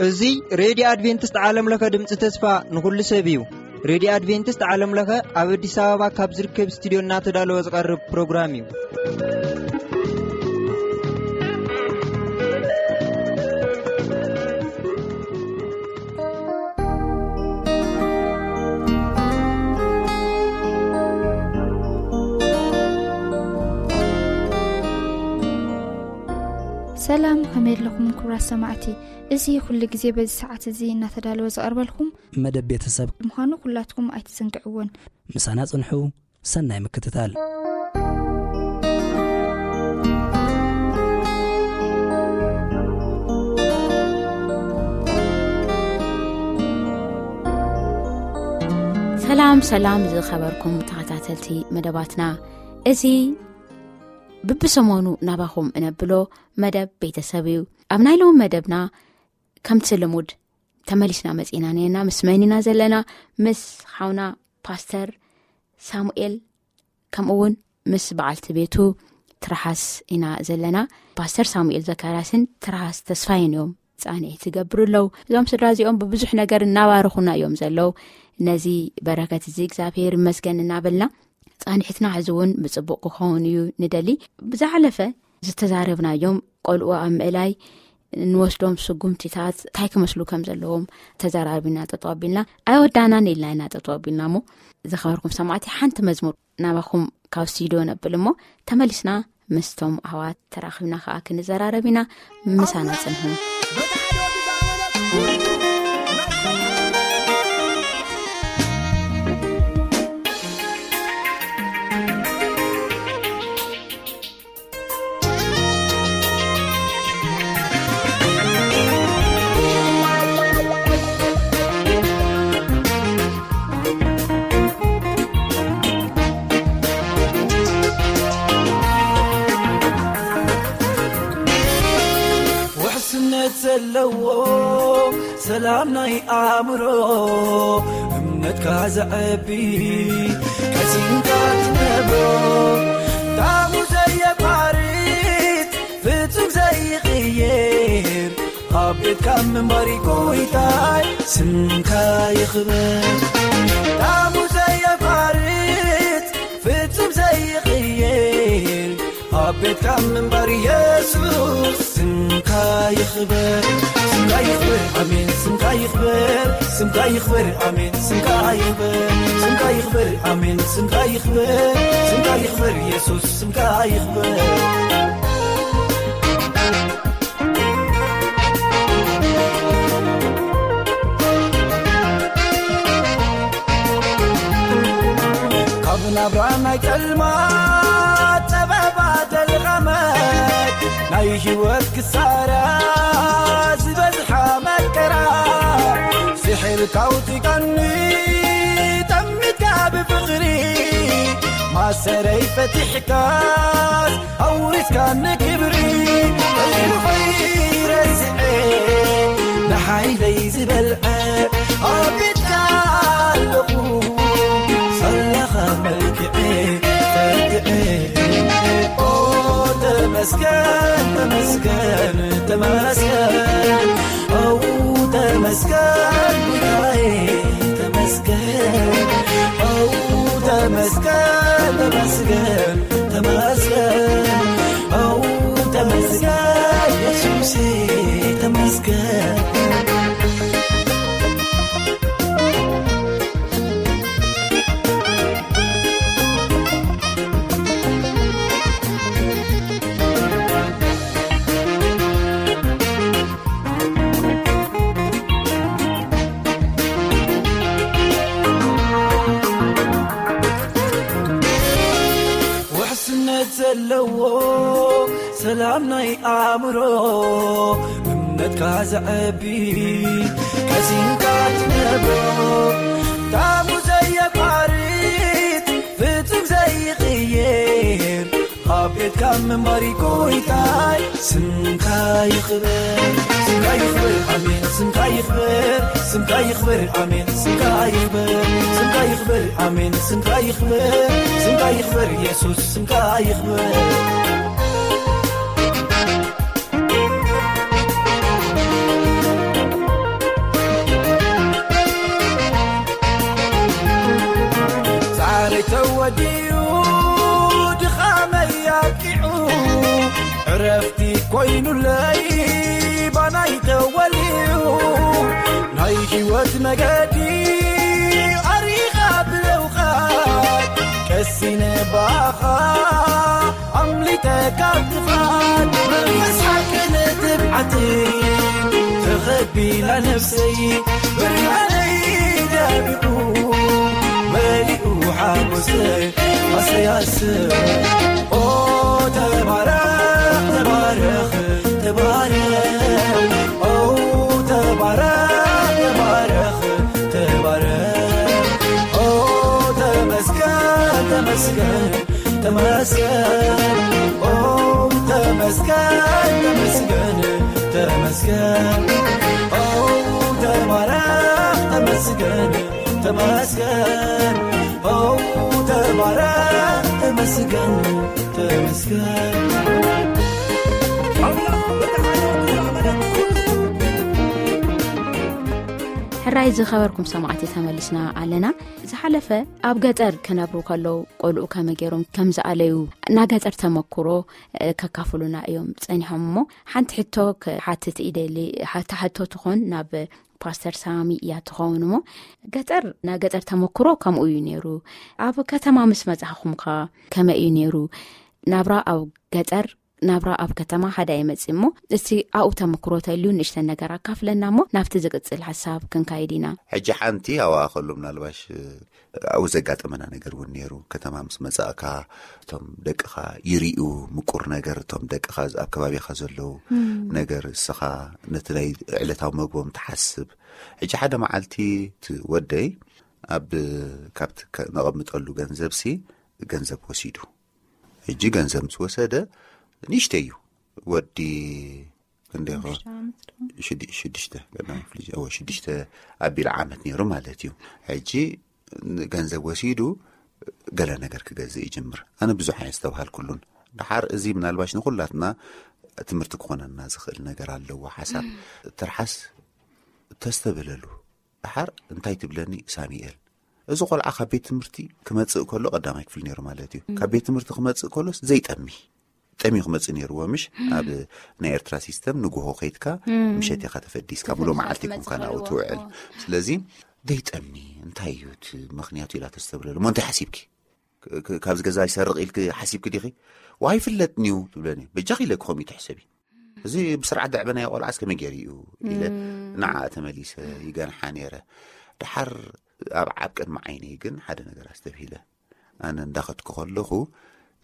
እዚ ሬድዮ ኣድቬንቲስት ዓለም ለኸ ድምፂ ተስፋ ንኹሉ ሰብ እዩ። ሬድዮ ኣድቬንቲስት ዓለም ለኸ ኣብ ኣዲስ ኣበባ ካብ ዝርከብ ስቱድዮ እናተዳለወ ዝቐርብ ፕሮግራም እዩ። ሰላም፣ ከመይ ኣለኹም ክቡራት ሰማዕቲ? እዚ ኩሉ ግዜ በዚ ሰዓት እዚ እናተዳለወ ዝቐርበልኩም መደብ ቤተሰብ ምዃኑ ኩላትኩም ኣይትዘንግዕዎን። ምሳና ጽንሑ። ሰናይ ምክትታል። ሰላም፣ ሰላም ዝኸበርኩም ተኸታተልቲ መደባትና፣ እዚ ብብሰሞኑ ናባኹም እነብሎ መደብ ቤተሰብ እዩ። ኣብ ናይ ሎሚ መደብና ከምቲ ልሙድ ተመሊስና መጺና ነና። ምስ መን ኢና ዘለና? ምስ ሓውና ፓስተር ሳሙኤል፣ ከምኡ እውን ምስ በዓልቲ ቤቱ ትርሃስ ኢና ዘለና። ፓስተር ሳሙኤል ዘካርያስን ትርሃስ ተስፋይን እዮም ጻንሒት ዝገብሩ ኣለዉ። እዞም ስድራ እዚኦም ብብዙሕ ነገር እናባረኹና እዮም ዘለዉ። ነዚ በረከት እዚ እግዚኣብሔር ይመስገን እናበልና፣ ጻንሒትና ሕዚ እውን ብጽቡቕ ክኸውን እዩ ንደሊ። ብዝሓለፈ ዝተዛረብናዮም ቆልዑ ኣብ ምእላይ እንወስዶም ስጉምቲታት እንታይ ክመስሉ ከም ዘለዎም ተዘራሪብና ጠጠው ኣቢልና፣ ኣይወዳእናን ኢልና ኢና ጠጠው ኣቢልና። እሞ ዝኸበርኩም ሰማዕቲ፣ ሓንቲ መዝሙር ናባኹም ካብ ስቱድዮ ነብል እሞ፣ ተመሊስና ምስቶም ኣሕዋት ተራኺብና ከኣ ክንዘራረብ ኢና። ምሳና ጽንሑ። ውሕስነት ዘለዎ ሰላም ናይ ኣእምሮ፣ እምነትካ ዘዕቢ፣ ቀሲንካ ትነብሮ፣ ጣዕሙ ዘየቋርጽ፣ ፍጹም ዘይቕየር፣ ኣብ ቤትካ ምንባር ጎይታይ፣ ስምካ ይኽበር። ጣዕሙ ዘየቋርጽ፣ ፍጹም ዘይቕየር፣ ኣብ ቤትካ ምንባር የሱስ፣ ስምካ ይኽበር። ስምካ ይኽበር፣ ኣሜን፣ ስምካ ይኽበር። ስምካ ይኽበር፣ ኣሜን፣ ስምካ ይኽበር። ስምካ ይኽበር፣ ኣሜን፣ ስምካ ይኽበር። ስምካ ይኽበር፣ የሱስ፣ ስምካ ይኽበር። ካብ ናብራ ናይ ጸልማት ጸበባ ደልቐመት፣ ናይ ህይወት ክሳራ ዝበዝሓ መከራ፣ ስሒርካ ኣውጺእካኒ ጠሚትካ ብፍቕሪ፣ ማሰረይ ፈቲሕካስ ኣውሪስካኒ ክብሪ። ተሪፉ ከይረስዐ ንሓይለይ ዝበልዐ ኣብ ቤትካ ኣለኹ፣ ሳላኻ መልክዐ ፈትዐ። ኦ ተመስገን፣ ተመስገን፣ ተመስገን። ኦ ተመስገን፣ ጉዳይ ተመስገን። ኦ ተመስገን፣ ተመስገን፣ ተመስገን። ኦ ተመስገን፣ የሱሴ ተመስገን። ውሕስነት ዘለዎ ሰላም ናይ ኣእምሮ፣ እምነትካ ዘዕቢ፣ ቀሲንካ ትነብሮ፣ ጣዕሙ ዘየቋርጽ፣ ፍጹም ዘይቕየር፣ ኣብ ቤትካ ካብ ምንባሪ ጎይታይ ስምካ ይኽበር፣ ስምካ ይኽበር፣ ኣሜን፣ ስምካ ይኽበር፣ ስምካ ይኽበር፣ ኣሜን፣ ስምካ ይኽበር፣ ስምካ ይኽበር፣ ኣሜን፣ ስምካ ይኽበር፣ ስምካ ይኽበር፣ ኢየሱስ ስምካ ይኽበር። ዛዕረይ ተወዲኡ፣ ድኻመይ ኣብቂዑ፣ ዕረፍቲ ኮይኑለይ ባናይ ተወሊዑ። ናይ ህይወት መገዲ ኣሪኻ ብለውኻ፣ ቀሲነ ባኻ ኣምሊጠ ካብ ጥፋት። መንፈስ ሓቅን ትብዓትን ተኸቢላ ነፍሰይ፣ ብርሃነይ ደሚቑ መሊኡ ሓጎሰይ። ኣሰይ ኣሰይ ኦ ተባረኽ ተባረኽ ተባረኽ ኦ ተባረኽ ተባረኽ ተባረኽ ኦ ተመስገን ተመስገን ተመስገን ኦ ተመስገን ተመስገን ተመስገን ኦ ተባረኽ ተመስገን ተመስገን ኦ ተባረኽ ተመስገን ተመስገን። ሕራይ ዝኸበርኩም ሰማዕቲ ተመሊስና ኣለና። ዝሓለፈ ኣብ ገጠር ክነብሩ ከለዉ ቆልዑ ከመይ ገይሮም ከም ዝኣለዩ፣ ናይ ገጠር ተመክሮ፣ እ፣ ከካፍሉና እዮም ጸኒሖም። እሞ ሓንቲ ሕቶ ክሓትት ይደሊ። ሓታ ሕቶ ትኾን ናብ ፓስተር ሳሚ እያ ትኸውን። እሞ ገጠር፣ ናይ ገጠር ተመክሮ ከምኡ እዩ ነይሩ። ኣብ ከተማ ምስ መጻኹምካ ከመይ እዩ ነይሩ? ናብራ ኣብ ገጠር፣ ናብራ ኣብ ከተማ ሓደ ኣይመጽእ። እሞ እስቲ ኣብኡ ተመክሮ ተልዩ ንእሽተን ነገር ኣካፍለና፣ እሞ ናብቲ ዝቅጽል ሓሳብ ክንካይድ ኢና። ሕጂ ሓንቲ ኣብኣ ከሎ ምናልባሽ፣ እ፣ ኣብኡ ዘጋጠመና ነገር እውን ነይሩ። ከተማ ምስ መጻእካ እቶም ደቅኻ ይርእዩ ምቁር ነገር፣ እቶም ደቅኻ ኣብ ከባቢኻ ዘለዉ እም። ነገር፣ እስኻ ነቲ ናይ ዕለታዊ መግቦም ትሓስብ። ሕጂ ሓደ መዓልቲ እቲ ወደይ ኣብ፣ ካብቲ ከ-፣ ነቐምጠሉ ገንዘብሲ ገንዘብ ወሲዱ። ሕጂ ገንዘብ ምስ ወሰደ፣ ንእሽተይ እዩ ወዲ፣ ክንደይ ኾ? ሽዱሽተ ዓመት ዶ? ሽዱ-፣ ሽዱሽተ፣ ቀዳማይ ክፍሊ ጀ-፣ እወ፣ ሽዱሽተ ኣቢሉ ዓመት ነይሩ ማለት እዩ። ሕጂ ገንዘብ ወሲዱ ገለ ነገር ክገዝእ ይጅምር። ኣነ ብዙሕ ኣየስተብሃልኩሉን። ደሓር እዚ ምናልባሽ ንኹላትና ትምህርቲ ክኾነና ዝኽእል ነገር ኣለዎ። ሓሳብ ትርሓስ ተስተብህለሉ። ደሓር እንታይ ትብለኒ ሳሚኤል? እዚ ቆልዓ ካብ ቤት ትምህርቲ ክመጽእ ከሎ፣ ቀዳማይ ክፍሊ ነይሩ ማለት እዩ። ካብ ቤት ትምህርቲ ክመጽእ ከሎስ ዘይጠሚ፣ ጠምዩ ክመጽእ ነይርዎ፣ ምሽ? ኣብ ናይ ኤርትራ ሲስተም ንግሆ ከይድካ፣ ምሸት ኢኻ ተፈዲስካ፣ ምሉእ መዓልቲ ኢኹም ከናኡ ትውዕል። ስለዚ ዘይጠሚ እንታይ እዩ እቲ ምኽንያቱ ኢላ ተስተብለሉ። እሞ እንታይ ሓሲብኪ? ክ-፣ ክ-፣ ካብዚ ገዛ ይሰርቕ ኢልኪ ሓሲብኪ ዲኺ? ዋይ፣ ይፍለጥኒ እዩ ትብለኒ። በጃኺ ኢለኪ ከምኡ ትሕሰቢ። እዚ ብስርዓት ዘዕበናዮ ቆልዓስ ከመይ ገይሩ እዩ ኢለ ንዓ ተመሊሰ ይገንሓ ነይረ። ደሓር ኣብ ዓብ ቅድሚ ዓይነይ ግን ሓደ ነገር ኣስተብሂለ። ኣነ እንዳኸድኩ ከለኹ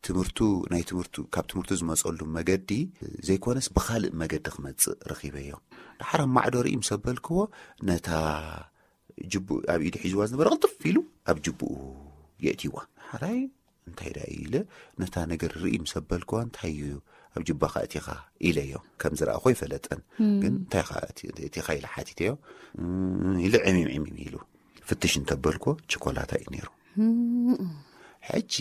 ትምህርቱ፣ ናይ ትምህርቱ፣ ካብ ትምህርቱ ዝመጸሉ መገዲ ዘይኮነስ ብኻልእ መገዲ ክመጽእ ረኺበዮ። ደሓር ኣብ ማዕዶ ርኢ ምስ ኣበልክዎ ነታ ጅቡኡ ኣብ ኢዱ ሒዝዋ ዝነበረ ቅልጥፍ ኢሉ ኣብ ጅቡኡ የእትይዋ። ሓራይ እንታይ ደኣ ኢለ ነታ ነገር ርኢ ምስ ኣበልክዋ፣ እንታይ እዩ ኣብ ጅባኻ እቲኻ ኢለዮ። ከም ዝረኣኹ ኣይፈለጠን። ግን እንታይ ኸኣ እቲ-፣ እቲኻ ኢለ ሓቲተዮ። እም፣ ኢሉ ዕሚም ዕሚም ኢሉ። ፍትሽ እንተበልክዎ ቸኮላታ እዩ ነይሩ። ሕጂ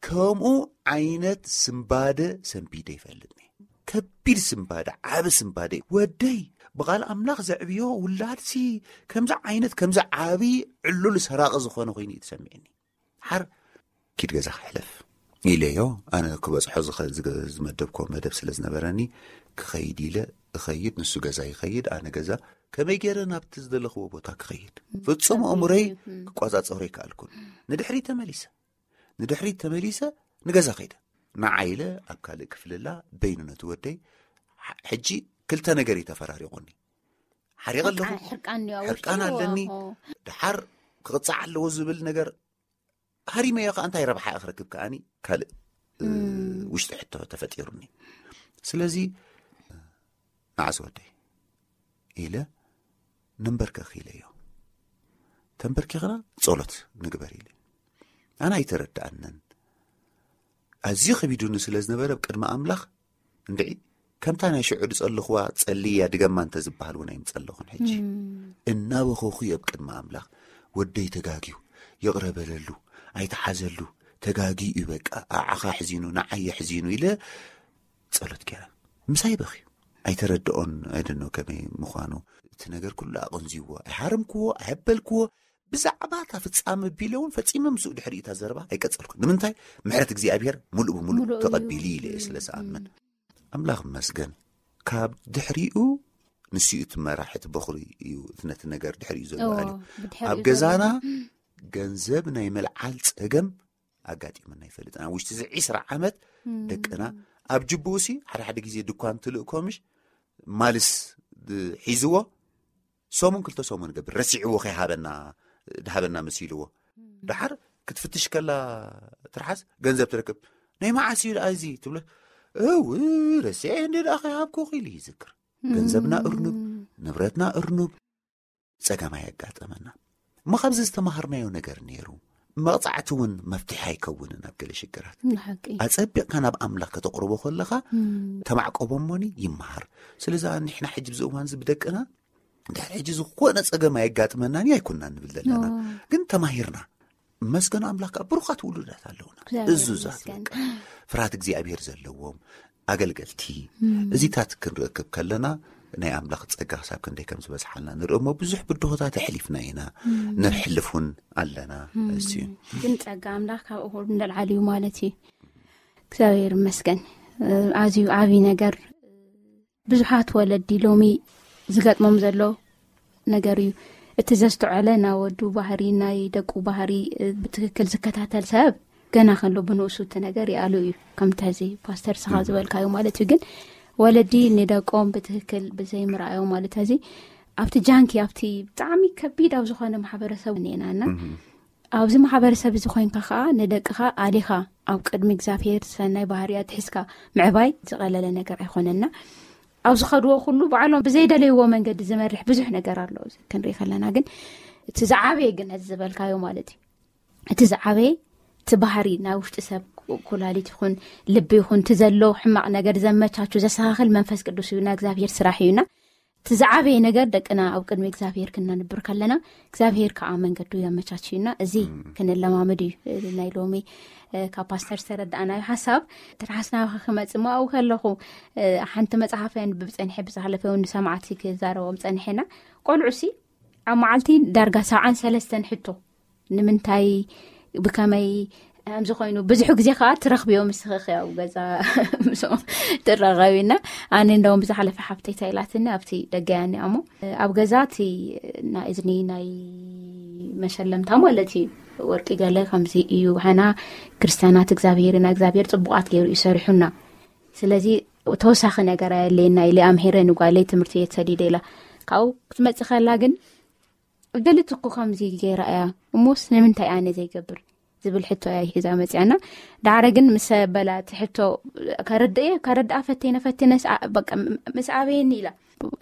ከምኡ ዓይነት ስምባደ ሰንቢደ ይፈልጥኒ። ከቢድ ስምባደ፣ ዓቢ ስምባደ። ወደይ፣ ብቓል ኣምላኽ ዘዕብዮ ውላድሲ ከምዚ ዓይነት፣ ከምዚ ዓቢ ዕሉል ሰራቒ ዝኾነ ኮይኑ እዩ ተሰሚዕኒ። ሓር ኪድ ገዛ ክሕለፍ ኢለዮ። ኣነ ክበጽሖ ዝኸ-፣ ዝገ-፣ ዝመደብኮ መደብ ስለ ዝነበረኒ ክኸይድ ኢለ እኸይድ፣ ንሱ ገዛ ይኸይድ፣ ኣነ ገዛ። ከመይ ገይረ ናብቲ ዝደለኽዎ ቦታ ክኸይድ? ፍጹም ኣእምሮይ ክቆጻጸሮ ኣይከኣልኩን። ንድሕሪት ተመሊሰ። ንድሕሪት ተመሊሰ ንገዛ ከይደ። ንዓ ኢለ ኣብ ካልእ ክፍልላ በይኑ ነቲ ወደይ። ሕ-፣ ሕጂ ክልተ ነገር እዩ ተፈራሪቑኒ። ሓሪቐ ኣለኹ። ሕርቃን፣ ሕርቃን እዩ ኣብ ውሽጢ። ሕርቃን ኣለኒ። ዋሆ። ደሓር ክቕጻዕ ኣለዎ ዝብል ነገር ሃሪመዮ ከኣ እንታይ ረብሓ እየ ክረክብ ከኣኒ ካልእ፣ እ፣ እም። ውሽጢ ሕቶ ተፈጢሩኒ። ስለዚ ንዓ ዝወደይ ኢለ፣ "ንንበርከኽ" ኢለዮ። ተንበርኪኽና ጸሎት ንግበር ኢለ። ኣነ ኣይተረድኣንን። ኣዝዩ ከቢዱኒ ስለ ዝነበረ ኣብ ቅድሚ ኣምላኽ እንድዒ ከምታ ናይ ሽዑ ዝጸለኽዋ ጸልያ ድገማ እንተ ዝበሃል እውን ኣይምጸለኹን። ሕጂ እናበኸኹ ኣብ ቅድሚ ኣምላኽ ወደይ ተጋግዩ፣ ይቕረ በለሉ፣ ኣይትሓዘሉ፣ ተጋግዩ እዩ በቃ፣ ኣዓኻ ሕዚኑ ንዓየ ሕዚኑ ኢለ ጸሎት ገይረ። ምሳይ በኺ ኣይተረድኦን። ኣይደኖ ከመይ ምዃኑ እቲ ነገር ኩሉ ኣቐንዝዎ ኣይሃረምክዎ ኣየበልክዎ። ብዛዕባ እታ ፍጻመ ቢለ እውን ፈጺመ ምስኡ ድሕሪ እታ ዘረባ ኣይቀጸልኩን። ንምንታይ? ምሕረት እግዚኣብሔር ሙሉእ ብምሉእ ተቐቢሉ ኢለ እየ ስለ ዝኣምን። ኣምላኽ መስገን። ካብ ድሕሪኡ ንስኡ እቲ መራሒ እቲ በኹሪ እዩ፣ እቲ ነቲ ነገር ድሕሪኡ ዘሎ ኣልዩ። ኣብ ገዛና ገንዘብ ናይ መልዓል ጸገም ኣጋጢሙና ይፈልጥ። ኣብ ውሽጢ እዚ ዒስራ ዓመት ደቅና ኣብ ጅቡኡ ሲ ሓደ ሓደ ግዜ ድኳን ትልእኮ ምሽ ማልስ ሒዝዎ ሰሙን ክልተ ሰሙን ገብር ረሲዕዎ ከይሃበና ድሃበና መሲልዎ። ደሓር ክትፍትሽ ከላ ትርሓስ ገንዘብ ትረክብ። ናይ መዓስ እዩ ደኣ እዚ ትብሎ? እው ረሲዐ እንደ ደኣ ከይሃብኩ ኢሉ ይዝክር። ገንዘብና እርኑብ፣ ንብረትና እርኑብ፣ ጸገም ኣየጋጠመና። እሞ ካብዚ ዝተማሃርናዮ ነገር ነይሩ። መቕጻዕቲ እውን መፍትሒ ኣይከውንን ኣብ ገለ ሽግራት። ኣጸቢቕካ ናብ ኣምላኽ ከተቕርቦ ከለኻ ተማዕቆቦ እሞኒ ይመሃር። ስለዚ ንሕና ሕጂ ብዚ እዋን እዚ ብደቅና ድሕሪ ሕጂ ዝኾነ ጸገም ኣየጋጥመናን ኣይኮንና ንብል ዘለና። ግን ተማሂርና። መስገን ኣምላኽ ከዓ ብሩኻት ውሉዳት ኣለውና። እዙዛት በቃ ፍርሃት እግዚኣብሔር ዘለዎም ኣገልገልቲ። እዚታት ክንረክብ ከለና ናይ ኣምላኽ ጸጋ ክሳብ ክንደይ ከም ዝበዝሓልና ንርኢ እሞ ብዙሕ ብድሆታት ኣሕሊፍና ኢና፣ ነሕልፍ እውን ኣለና። እሱ እዩ። ግን ጸጋ ኣምላኽ ካብኡ ንላዕሊ እዩ ማለት እዩ። እግዚኣብሔር ይመስገን። ኣዝዩ ዓብዪ ነገር ብዙሓት ወለዲ ሎሚ ዝገጥሞም ዘሎ ነገር እዩ። እቲ ዘስተውዐለ ናይ ወዱ ባህሪ፣ ናይ ደቁ ባህሪ ብትክክል ዝከታተል ሰብ ገና ከሎ ብንኡሱ እቲ ነገር ይኣሉ እዩ። ከምቲ ሕዚ ፓስተር ስኻ ዝበልካዮ ማለት እዩ። ግን ወለዲ ንደቆም ብትክክል ብዘይምርኣዮም ማለት ሕዚ ኣብቲ ጃንኪ ኣብቲ ብጣዕሚ ከቢድ ኣብ ዝኾነ ማሕበረሰብ እኒኤናና ኣብዚ ማሕበረሰብ እዚ ኮይንካ ከዓ ንደቅኻ ኣሊኻ ኣብ ቅድሚ እግዚኣብሔር ሰናይ ባህርያት ሒዝካ ምዕባይ ዝቐለለ ነገር ኣይኮነና። ኣብ ዝኸድዎ ኩሉ ባዕሎም ብዘይደለይዎ መንገዲ ዝመርሕ ብዙሕ ነገር ኣሎ። እዚ ክንርኢ ከለና ግን እቲ ዝዓበየ ግን እዚ ዝበልካዮ ማለት እዩ። እቲ ዝዓበየ እቲ ባህሪ ናይ ውሽጢ ሰብ ኩላሊት ይኹን ልቢ ይኹን እቲ ዘሎ ሕማቕ ነገር ዘመቻቹ ዘስተኻኽል መንፈስ ቅዱስ እዩና እግዚኣብሔር ስራሕ እዩና። እቲ ዝዓበየ ነገር ደቅና ኣብ ቅድሚ እግዚኣብሔር ክነንብር ከለና እግዚኣብሔር ከዓ መንገዱ የመቻችዩና። እዚ ክንለማመድ እዩ። ናይ ሎሚ ካብ ፓስተር ዝተረዳእናዮ ሓሳብ ትርሓስ ናባኻ ክመጽእ ምኣው ከለኹ ሓንቲ መጽሓፍ የንብብ ጸኒሐ ብዝሓለፈ እውን ንሰማዕቲ ክዛረቦም ጸኒሐና። ቆልዑ ሲ ኣብ መዓልቲ ዳርጋ ሰብዓን ሰለስተን ሕቶ ንምንታይ ብከመይ ከምዚ ኮይኑ ብዙሕ ግዜ ከዓ ትረኽብዮ ምስ ኽኽያው ገዛ ምስኦም ትራኸቢና። ኣነ እንደውም ብዝሓለፈ ሓብተይ እንታይ ኢላትኒ ኣብቲ ደገያ እኒኣ እሞ ኣብ ገዛ እቲ ናይ እዝኒ ናይ መሸለምታ ማለት እዩ ወርቂ ገለ ከምዚ እዩ። ሓና ክርስቲያናት እግዚኣብሔር ኢና እግዚኣብሔር ፅቡቃት ገይሩ እዩ ሰሪሑና። ስለዚ ተወሳኺ ነገር ኣየለየና ኢለ ኣምሄረ ንጓለይ ትምህርቲ እየ ተሰዲደ ኢላ ካብኡ ክትመፅእ ከላ ግን ገሊት እኮ ከምዚ ገይራ እያ እሞስ ንምንታይ ኣነ ዘይገብር ዝብል ሕቶ እያ ሒዛ መፅያና። ዳዕረ ግን ምስ በላ እቲ ሕቶ ከረድእ እየ ከረድኣ ፈቴነ ፈቴነ ምስ ኣበየኒ ኢላ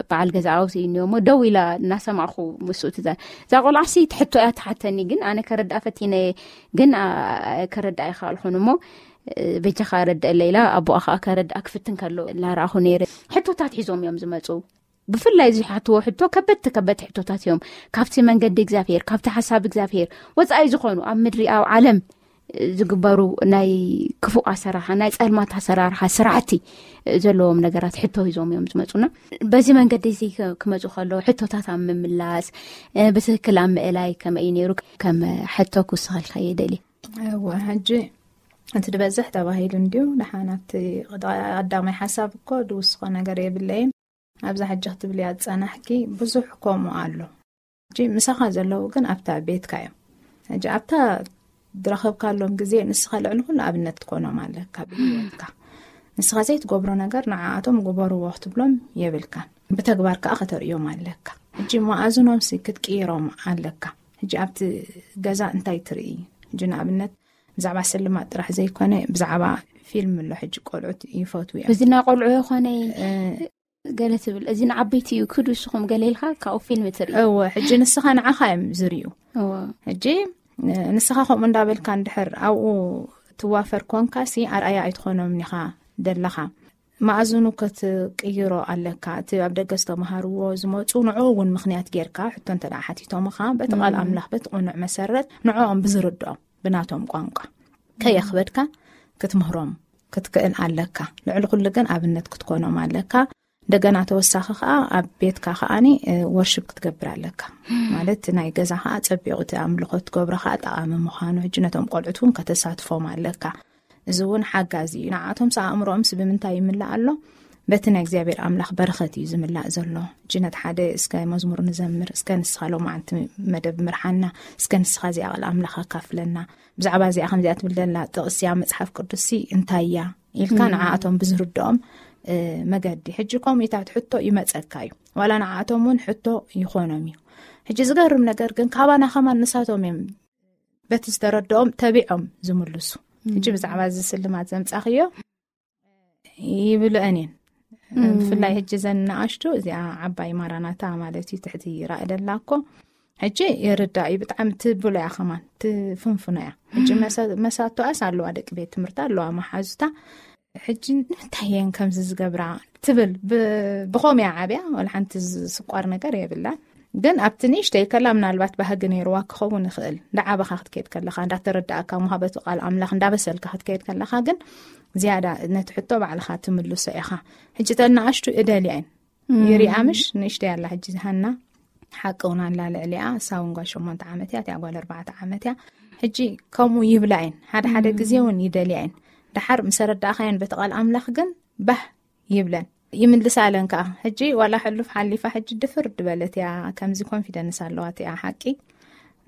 በዓል ገዛ ኣውስ እዩ እሞ ደው ኢላ እናሰማዕኹ ምስኡ ትዛ እዛ ቆልዓ ሲ ትሕቶ እያ ትሓተኒ ግን ኣነ ከረድኣ ፈቲነ ግን ከረድኣ ይኸኣልኹን እሞ በጃኻ ረድአለ ኢላ ኣቦኣ ከዓ ከረድኣ ክፍትን ከሎ እናረኣኹ ነይረ። ሕቶታት ሒዞም እዮም ዝመፁ። ብፍላይ ዝሓትዎ ሕቶ ከበድቲ ከበድቲ ሕቶታት እዮም። ካብቲ መንገዲ እግዚኣብሔር ካብቲ ሓሳብ እግዚኣብሔር ወፃኢ ዝኾኑ ኣብ ምድሪ ኣብ ዓለም ዝግበሩ ናይ ክፉእ ኣሰራርሓ ናይ ፀልማት ኣሰራርሓ ስራሕቲ ዘለዎም ነገራት ሕቶ ሂዞም እዮም ዝመፁና። በዚ መንገዲ እዚ ክመፁ ከለዉ ሕቶታት ኣብ ምምላስ ብትክክል ኣብ ምእላይ ከመይ እዩ ነይሩ ከም ሕቶ ክውስኸልካ እየ ደልየ። እወ ሕጂ እቲ ዝበዝሕ ተባሂሉ እንድዩ። ደሓን ኣብቲ ቀዳማይ ሓሳብ እኮ ዝውስኾ ነገር የብለይን። ኣብዛ ሕጂ ክትብልያ ዝጸናሕኪ ብዙሕ ከምኡ ኣሎ። ሕጂ ምሳኻ ዘለዉ ግን ኣብታ ቤትካ እዮም። ሕጂ ኣብታ ዝረኸብካሎም ግዜ ንስኻ ልዕሊ ኩሉ ኣብነት ክትኮኖም ኣለካ ብህይወትካ። ንስኻ ዘይትገብሮ ነገር ንዓኣቶም ግበርዎ ክትብሎም የብልካን። ብተግባር ከኣ ከተርእዮም ኣለካ። ሕጂ መኣዝኖምሲ ክትቅይሮም ኣለካ። ሕጂ ኣብቲ ገዛ እንታይ ትርኢ? ሕጂ ንኣብነት ብዛዕባ ስልማት ጥራሕ ዘይኮነ ብዛዕባ ፊልም ኣሎ ሕጂ ቆልዑት ይፈትዉ እዮም። እዚ ናይ ቆልዑ ይኾነ ገለ ትብል እዚ ንዓበይቲ እዩ ክዱ እስኹም ገለ ኢልካ ካብኡ ፊልም ትርኢ። እወ ሕጂ ንስኻ ንዓኻ እዮም ዝርእዩ። እወ ሕጂ ንስኻ ከምኡ እንዳበልካ እንድሕር ኣብኡ ትዋፈር ኮንካ ሲ ኣርኣያ ኣይትኾኖም ኢኻ ደለኻ። መኣዝኑ ክትቅይሮ ኣለካ። እቲ ኣብ ደገ ዝተምሃርዎ ዝመፁ ንዑ እውን ምኽንያት ጌርካ ሕቶ እንተ ደኣ ሓቲቶምኻ በቲ ቃል ኣምላኽ በቲ ቅኑዕ መሰረት ንዕኦም ብዝርድኦም ብናቶም ቋንቋ ከየኽበድካ ክትምህሮም ክትክእል ኣለካ። ልዕሊ ኩሉ ግን ኣብነት ክትኮኖም ኣለካ። እንደገና ተወሳኺ ከዓ ኣብ ቤትካ ከዓኒ ወርሽፕ ክትገብር ኣለካ። ማለት ናይ ገዛ ከዓ ፀቢቑ እቲ ኣምልኾ ትገብሮ ከዓ ጠቓሚ ምዃኑ ሕጂ ነቶም ቆልዑት እውን ከተሳትፎም ኣለካ። እዚ እውን ሓጋዚ እዩ። ንዓቶም ስ ኣእምሮኦም ስ ብምንታይ ይምላእ ኣሎ? በቲ ናይ እግዚኣብሔር ኣምላኽ በረኸት እዩ ዝምላእ ዘሎ። ሕጂ ነቲ ሓደ እስከ መዝሙር ንዘምር፣ እስከ ንስኻ ሎማዓንቲ መደብ ምርሓና፣ እስከ ንስኻ እዚኣ ቃል ኣምላኽ ኣካፍለና፣ ብዛዕባ እዚኣ ከምዚኣ ትብል ዘላ ጥቕስያ መጽሓፍ ቅዱስሲ እንታይ እያ ኢልካ ንዓኣቶም ብዝርድኦም መገዲ። ሕጂ ከምኡታት ሕቶ ይመጸካ እዩ። ዋላ ንዓኣቶም እውን ሕቶ ይኾኖም እዩ። ሕጂ ዝገርም ነገር ግን ካባና ከማን ንሳቶም እዮም በቲ ዝተረድኦም ተቢዖም ዝምልሱ። ሕጂ ብዛዕባ እዚ ስልማት ዘምጻኽዮ ይብልአን እየን። ብፍላይ ሕጂ ዘን ንኣሽቱ እዚኣ ዓባይ ማራናታ ማለት እዩ ትሕቲ ራእደላ እኮ ሕጂ ይርዳእ እዩ። ብጣዕሚ ትብሎ እያ ከማን ትፍንፍኖ እያ። ሕጂ መሳቶኣስ ኣለዋ ደቂ ቤት ትምህርቲ ኣለዋ መሓዙታ። ሕጂ ንምንታይ እየን ከምዚ ዝገብራ ትብል። ብኸም እያ ዓብያ ወላ ሓንቲ ዝስቋር ነገር የብላን። ግን ኣብቲ ንእሽተይ ከላ ምናልባት ባህጊ ነይርዋ ክኸውን ይኽእል። እንዳዓበኻ ክትከይድ ከለኻ እንዳተረዳእካ ምሃበቱ ቃል ኣምላኽ እንዳበሰልካ ክትከይድ ከለኻ ግን ዝያዳ ነቲ ሕቶ ባዕልኻ ትምልሶ ኢኻ። ሕጂ ተናኣሽቱ እደልያ እየን ይሪኣ ምሽ ንእሽተይ ኣላ ሕጂ ሃና ሓቂ እውን ኣላ ልዕሊኣ እሳ እውን ጓል ሸሞንተ ዓመት እያ እቲኣ ጓል ኣርባዕተ ዓመት እያ። ሕጂ ከምኡ ይብላ እየን ሓደ ሓደ ግዜ እውን ይደልያ እየን። ደሓር ምስ ኣረዳእኻየን በቲ ቃል ኣምላኽ ግን ባህ ይብለን ይምልሳለን ከዓ። ሕጂ ዋላ ሕሉፍ ሓሊፋ ሕጂ ድፍር ድበለት እያ። ከምዚ ኮንፊደንስ ኣለዋ እቲኣ ሓቂ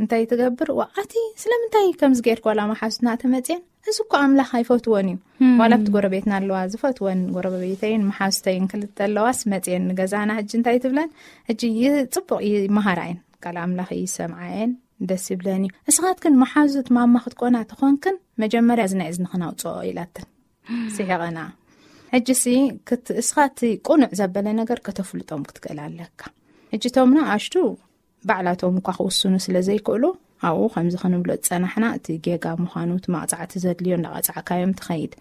እንታይ ትገብር ዋኣቲ ስለምንታይ ከምዚ ገይርክ ዋላ መሓዙትና ተመፅየን እዚ እኮ ኣምላኽ ኣይፈትወን እዩ። ዋላ ኣብቲ ጎረቤትና ኣለዋ ዝፈትወን ጎረቤተይን መሓዙተይን ክልተ ኣለዋስ መፅየን ንገዛና ሕጂ እንታይ ትብለን ሕጂ ጽቡቕ ይመሃራ እየን። ቃል ኣምላኽ ይሰምዓ እየን። ደስ ይብለን እዩ። እስኻትክን መሓዙት ማማ ክትኮና ተኾንክን መጀመርያ እዚ ናይ እዝንኽን ኣውፅኦ ኢላትን ስሒቐና። ሕጂ ሲ እስኻ እቲ ቁኑዕ ዘበለ ነገር ከተፍልጦም ክትክእል ኣለካ። ሕጂ ቶም ንኣሽቱ ባዕላቶም እኳ ክውስኑ ስለ ዘይክእሉ ኣብኡ ከምዚ ክንብሎ ዝጸናሕና እቲ ጌጋ ምዃኑ እቲ መቕጻዕቲ ዘድልዮ እንዳቐጻዕካዮም ትኸይድ።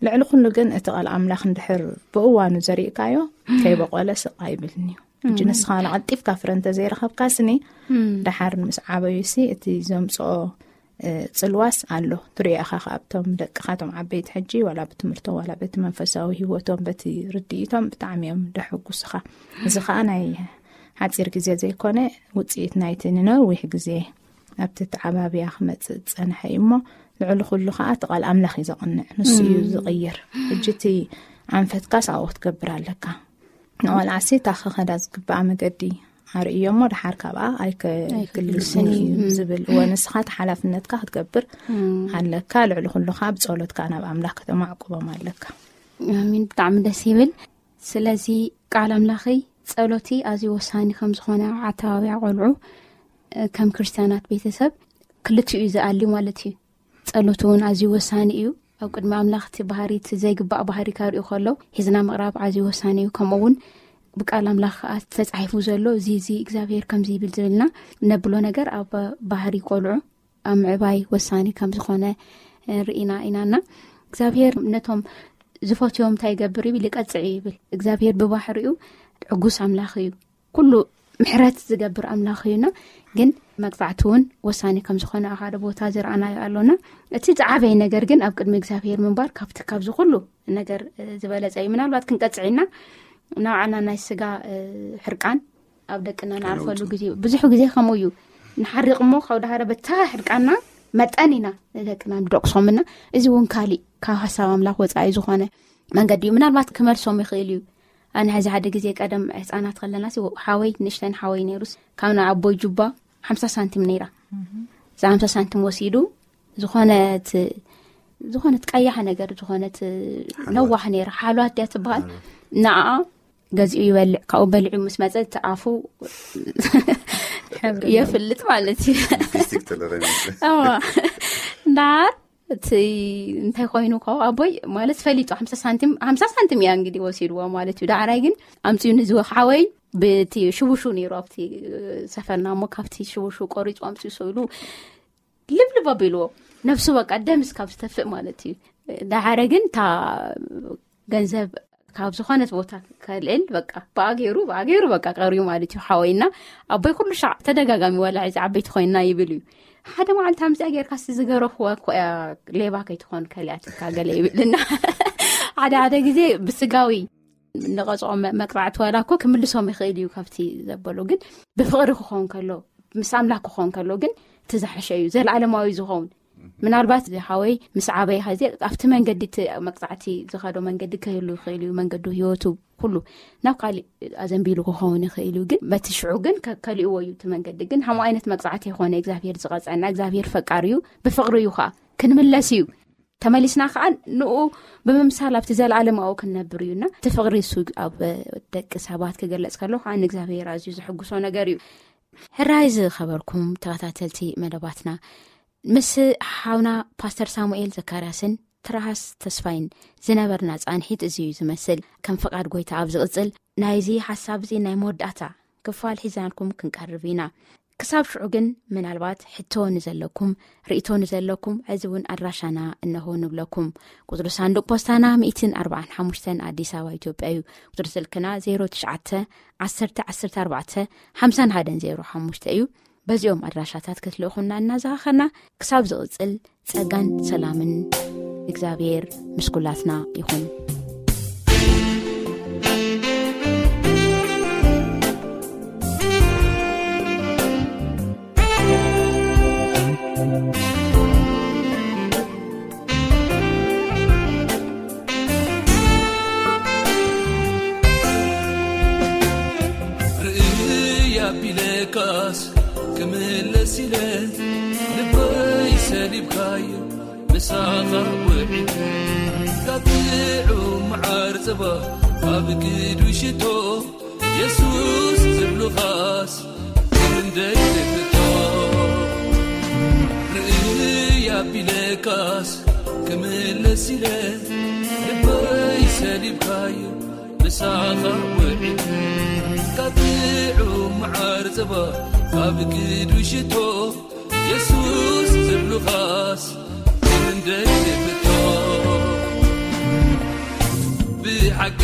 ልዕሊ ኩሉ ግን እቲ ቃል ኣምላኽ እንድሕር ብእዋኑ ዘሪእካዮ ከይበቆለ ስቕ ኣይብልን እዩ። ሕጂ ንስኻ ንቐልጢፍካ ፍረ እንተዘይረኸብካ ስኒ ደሓር ምስ ዓበዩ ሲ እቲ ዘምፅኦ ጽልዋስ ኣሎ። ትሪኦ ኢኻ ካብቶም ደቅኻ ቶም ዓበይቲ ሕጂ ዋላ ብትምህርቶም ዋላ በቲ መንፈሳዊ ህይወቶም በቲ ርድኢቶም ብጣዕሚ እዮም ደሕጉስኻ። እዚ ከዓ ናይ ሓፂር ግዜ ዘይኮነ ውፅኢት ናይቲ ንነዊሕ ግዜ ኣብቲ ተዓባብያ ክመፅእ ዝፀንሐ እዩ እሞ ልዕሊ ኩሉ ከዓ እቲ ቃል ኣምላኽ እዩ ዘቕንዕ፣ ንሱ እዩ ዝቕይር። ሕጂ እቲ ኣንፈትካስ ኣብኡ ክትገብር ኣለካ። ንቆልዓሲ እታ ክኸዳ ዝግብኣ መገዲ ኣርእዮ እሞ ደሓር ካብኣ ኣይከግልስን እዩ ዝብል እወ ንስኻ እቲ ሓላፍነትካ ክትገብር ኣለካ። ልዕሊ ኩሉ ከዓ ብፀሎትካ ናብ ኣምላኽ ከተማዕቁቦም ኣለካ። ኣሚን። ብጣዕሚ ደስ ይብል። ስለዚ ቃል ኣምላኸይ ጸሎቲ ኣዝዩ ወሳኒ ከም ዝኾነ ኣተባብያ ቆልዑ ከም ክርስቲያናት ቤተሰብ ክልቲኡ እዩ ዝኣሊ ማለት እዩ። ጸሎት እውን ኣዝዩ ወሳኒ እዩ። ኣብ ቅድሚ ኣምላኽ እቲ ባህሪ እቲ ዘይግባእ ባህሪ ከርእዩ ከሎ ሒዝና ምቕራብ ኣዝዩ ወሳኒ እዩ። ከምኡ እውን ብቃል ኣምላኽ ከዓ ተጻሒፉ ዘሎ እዚ እዚ እግዚኣብሔር ከምዚ ይብል ዝብልና ነብሎ ነገር ኣብ ባህሪ ቆልዑ ኣብ ምዕባይ ወሳኒ ከም ዝኾነ ርኢና ኢናና እግዚኣብሔር ነቶም ዝፈትዮም እንታይ ይገብር ይብል ይቀጽዕ ይብል። እግዚኣብሔር ብባህሪኡ ዕጉስ ኣምላኽ እዩ። ኩሉ ምሕረት ዝገብር ኣምላኽ እዩና ግን መቅጻዕቲ እውን ወሳኒ ከም ዝኾነ ሓደ ቦታ ዝረኣናዮ ኣሎና። እቲ ዝዓበየ ነገር ግን ኣብ ቅድሚ እግዚኣብሔር ምንባር ካብቲ ካብዚ ኩሉ ነገር ዝበለጸ እዩ። ምናልባት ክንቀጽዕ ኢና ናብዓና ናይ ስጋ ሕርቃን ኣብ ደቅና ንኣልፈሉ ግዜ ብዙሕ ግዜ ከምኡ እዩ። ንሓሪቕ እሞ ካብ ዳሃረ በታ ሕርቃና መጠን ኢና ንደቅና ንደቅሶምና። እዚ እውን ካሊእ ካብ ሓሳብ ኣምላኽ ወፃኢ ዝኾነ መንገዲ እዩ። ምናልባት ክመልሶም ይኽእል እዩ። ኣነ ሕዚ ሓደ ግዜ ቀደም ህፃናት ከለና ሓወይ ንእሽተን ሓወይ ነይሩስ ካብ ናይ ኣቦይ ጁባ ሓምሳ ሳንቲም ነይራ። እዛ ሓምሳ ሳንቲም ወሲዱ ዝኾነት ዝኾነት ቀያሕ ነገር ዝኾነት ነዋሕ ነይራ ሓሏት ድያ ትበሃል ንኣ ገዚኡ ይበልዕ። ካብኡ በሊዑ ምስ መጸ እቲ ኣፉ የፍልጥ ማለት እዩ። ሊፕስቲክ ተለረ ይመስል። እዋ። ዳር እቲ እንታይ ኮይኑ ካብኡ ኣቦይ ማለት ፈሊጡ ሓምሳ ሳንቲም፣ ሓምሳ ሳንቲም እያ እንግዲህ ወሲድዎ ማለት እዩ። ዳዕራይ ግን ኣምጺኡ ንዝወ ሓወይ ብቲ ሽቡሹ ነይሩ ኣብቲ ሰፈርና እሞ ካብቲ ሽቡሹ ቆሪጹ ኣምጺኡ ስእሉ ልብልብ ኣቢልዎ። ነብሱ በቃ ደምስ ካብ ዝተፍእ ማለት እዩ። ዳሓረ ግን እታ ገንዘብ ካብ ዝኾነት ቦታ ከልዕል በቃ ብኣገይሩ ብኣገይሩ በቃ ቀርዩ ማለት እዩ። ሓወይና ኣቦይ ኩሉ ሻዕ ተደጋጋሚ ዋላ እዚ ዓበይቲ ኮይና ይብል እዩ። ሓደ መዓልቲ ኣምፅኣ ጌርካ ስ ዝገረፍዋ እኮ እያ፣ ሌባ ከይትኾን ከሊኣትካ ገለ ይብልና። ሓደ ሓደ ግዜ ብስጋዊ ንቐፅዖ መ- መቅፃዕቲ ዋላ እኮ ክምልሶም ይኽእል እዩ ካብቲ ዘበሎ፣ ግን ብፍቕሪ ክኸውን ከሎ፣ ምስ ኣምላክ ክኸውን ከሎ ግን እቲ ዝሓሸ እዩ፣ ዘለኣለማዊ ዝኸውን። ምናልባት እዚ ሓወይ ምስ ዓበይ ኸዚ ኣብቲ መንገዲ እቲ መቅፃዕቲ ዝኸዶ መንገዲ ክህሉ ይኽእል እዩ፣ መንገዱ ህይወቱ ኩሉ ናብ ካሊእ ኣዘንቢሉ ክኸውን ይኽእል እዩ። ግን በቲ ሽዑ ግን ከ- ከሊእዎ እዩ እቲ መንገዲ። ግን ሃምኡ ዓይነት መቅፃዕቲ የኾነ እግዚኣብሔር ዝቐፀና፣ እግዚኣብሔር ፈቃር እዩ፣ ብፍቕሪ እዩ ከዓ ክንምለስ እዩ። ተመሊስና ከዓ ንኡ ብምምሳል ኣብቲ ዘለኣለማዊ ክንነብር እዩና፣ እቲ ፍቕሪ እሱ ኣብ ደቂ ሰባት ክገልጽ ከሎ ከዓ ንእግዚኣብሔር ኣዝዩ ዝሕጉሶ ነገር እዩ። ሕራይ ዝኸበርኩም ተኸታተልቲ መደባትና፣ ምስ ሓውና ፓስተር ሳሙኤል ዘካርያስን ትራሃስ ተስፋይን ዝነበርና ጻንሒት እዚ እዩ ዝመስል። ከም ፍቓድ ጎይታ ኣብ ዝቕጽል ናይዚ ሓሳብ እዚ ናይ መወዳእታ ክፋል ሒዛልኩም ክንቀርብ ኢና። ክሳብ ሽዑ ግን ምናልባት ሕቶ ንዘለኩም፣ ርእቶ ንዘለኩም፣ እዚ እውን ኣድራሻና እነሆ ንብለኩም። ቁጽሪ ሳንዱቕ ፖስታና ሚእትን ኣርባዓን ሓሙሽተን ኣዲስ ኣበባ ኢትዮጵያ እዩ። ቁጽሪ ስልክና ዜሮ ትሽዓተ ዓሰርተ ዓሰርተ ኣርባዕተ ሓምሳን ሓደን ዜሮ ሓሙሽተ እዩ። በዚኦም ኣድራሻታት ክትልእኹና እናዘኻኸርና፣ ክሳብ ዝቕጽል ጸጋን ሰላምን እግዚኣብሔር ምስ ኩላትና ይኹን። ርእይ ኣቢለካስ ክምለስ ኢለ ልበይ ሰሊብካዮ ምሳኻ ውዒለ ካብ ጥዑም መዓር ጸባ ካብ ግዱ ሽቶ የሱስ ዝብሉኻስ ክንደይ ትፍቶ ርእይ ኣቢለካስ ክምለስ ኢለ ልበይ ሰሊብካዮ ምሳኻ ውዒለ ካብ ጥዑም መዓር ጸባ ካብ ግዱ ሽቶ የሱስ ዝብሉኻስ ክንደይ ትፍቶ ብሓቂ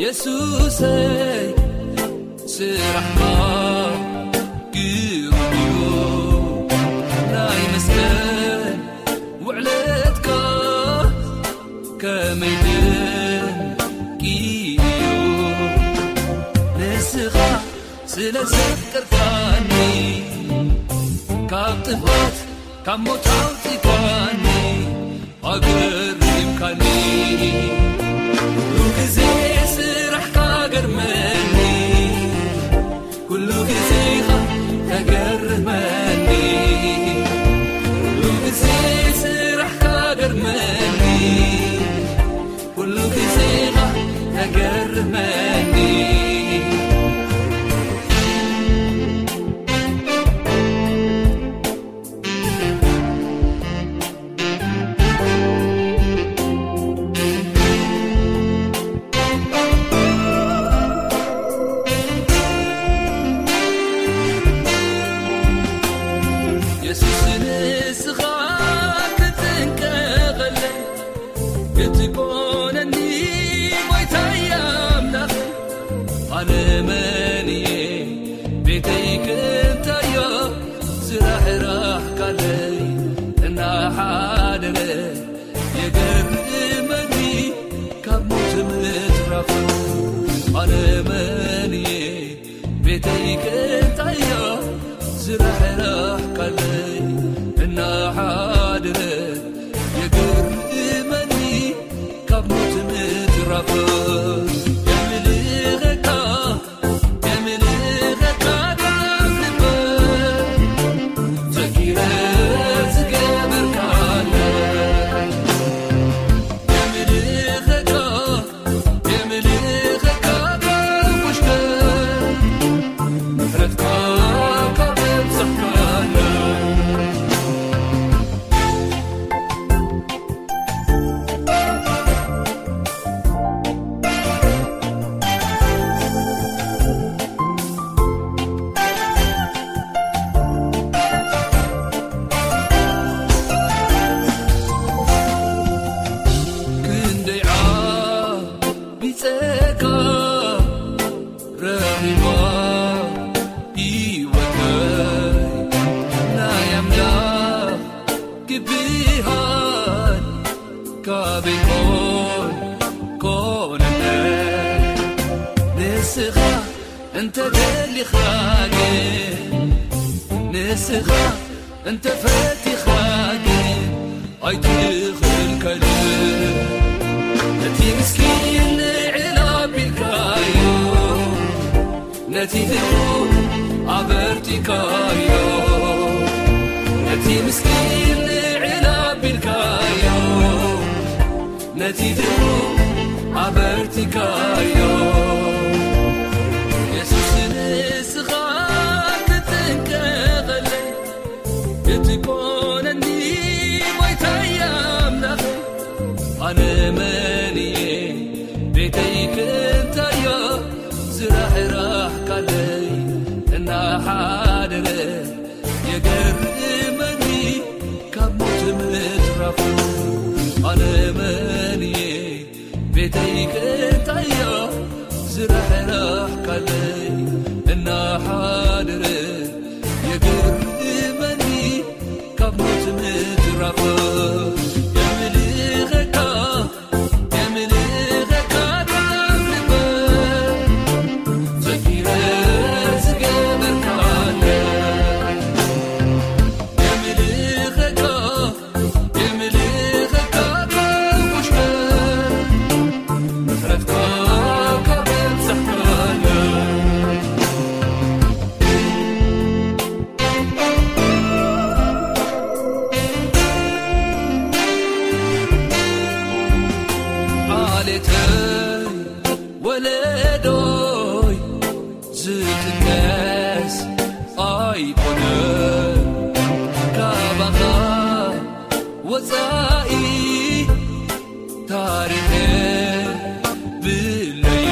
የሱሰይ ስራሕካ ግሩም እዩ ናይ መስቀል ውዕለትካ ከመይ ድንቂ እዩ ንስኻ ስለ ዘፍቀርካኒ ካብ ጥፋት ካብ ሞት ኣውፂካኒ ኣገሪምካኒ ኩሉ ግዜ ስራሕካ ገርመኒ ኩሉ ግዜኻ ተገርመኒ ኩሉ ግዜ ስራሕካ ገርመኒ ኩሉ ግዜኻ ተገርመኒ የሱስ ንስኻ ክትንቀቐለይ ክትኮነኒ ጎይታይ ኣምላኽ ኣነ መን እየ ቤተይ ክንታዮ ዝራሕራሕካለይ እናሓደረ የገርመኒ ካብ ሞት ምትራፍ ኣነ መን እየ ቤተይ ክንታዮ ዝራሕራሕካለይ እናሓደረ የገርመኒ ካብ ሞት ምትራፍ የምልኸካ የምልኸካ ካብ ልበይ ዘኪረ ዝገበርካለይ የምልኸካ የምልኸካ ካብ ውሽጠይ ምሕረትካ ካብ ኣብዛሕካለይ ብርሃን ካበይ ኮን ኮነነ? ንስኻ እንተ ደሊኻ ግን፣ ንስኻ እንተ ፈቲኻ ግን ኣይትኽልከልን። ነቲ ምስኪን ልዕል ኣቢልካዮ፣ ነቲ ድኹም ኣበርቲካዮ። ነቲ ምስኪን ልዕል ኣቢልካዮ፣ ነቲ ድኹም ኣበርቲካዮ። የሱስ ንስኻ ትጥንቀቐለይ፣ ክትኮነኒ ጎይታይ ኣምላኸይ። ኣነ መን እየ ቤተይ ክንታዮ ዝራሕራሕካለይ እናሓደረ የገርመኒ ካብ ሞት ምትራፉ። ኣነ መን እየ ቤተይ ክንታዮ ዝራሕራሕካለይ እናሓደረ የገርመኒ ካብ ሞት ምትራፉ። የምልኸካ የምልኸካ ካብ ልበይ ዘኪረ ዝገበርካለይ። የምልኸካ የምልኸካ ካብ ውሽጠይ ምሕረትካ ካብ ኣብዛሕካለይ። ዓሌተይ ወለዶይ ዝጥቀስ ኣይኮነ ካባኻ ወፃኢ ታሪኸ ብለየ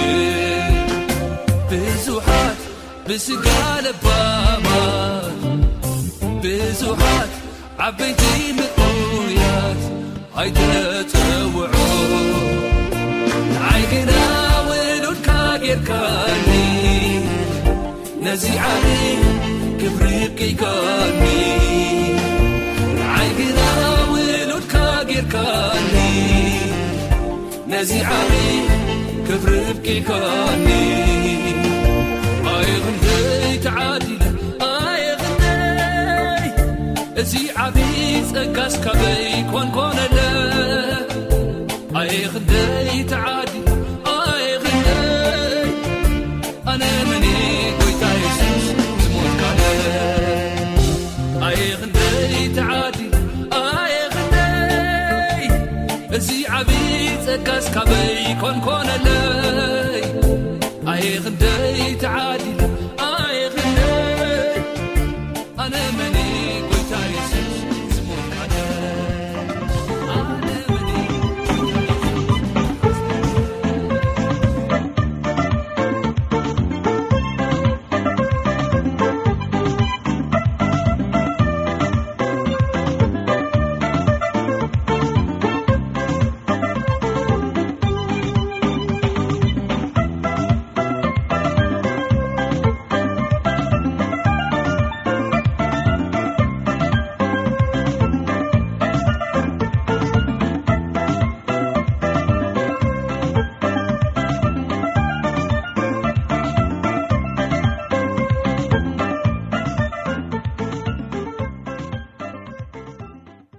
ብዙሓት ብስጋ ለባማት ብዙሓት ዓበይቲ ምእኩያት ኣይተጸውዑ። ንዓይ ግና ውሉድካ ጌርካኒ፣ ነዚ ዓቢ ክብሪ ኣብቂዕካኒ። ንዓይ ግና ውሉድካ ጌርካኒ፣ ነዚ ዓቢ ክብሪ ኣብቂዕካኒ። ኣየ ክንደይ ተዓዲለ፣ ኣየ ክንደይ፣ እዚ ዓቢ ጸጋስ ካበይ ኮንኮነለ። ኣየ ክንደይ ተዓዲለ፣ ኣየ ክንደይ፣ ኣነ መን እየ ጎይታ የሱስ ዝሞትካለ። ኣየ ክንደይ ተዓዲለ፣ ኣየ ክንደይ፣ እዚ ዓቢ ጸጋስ ካበይ ኮንኮነለይ። ኣየ ክንደይ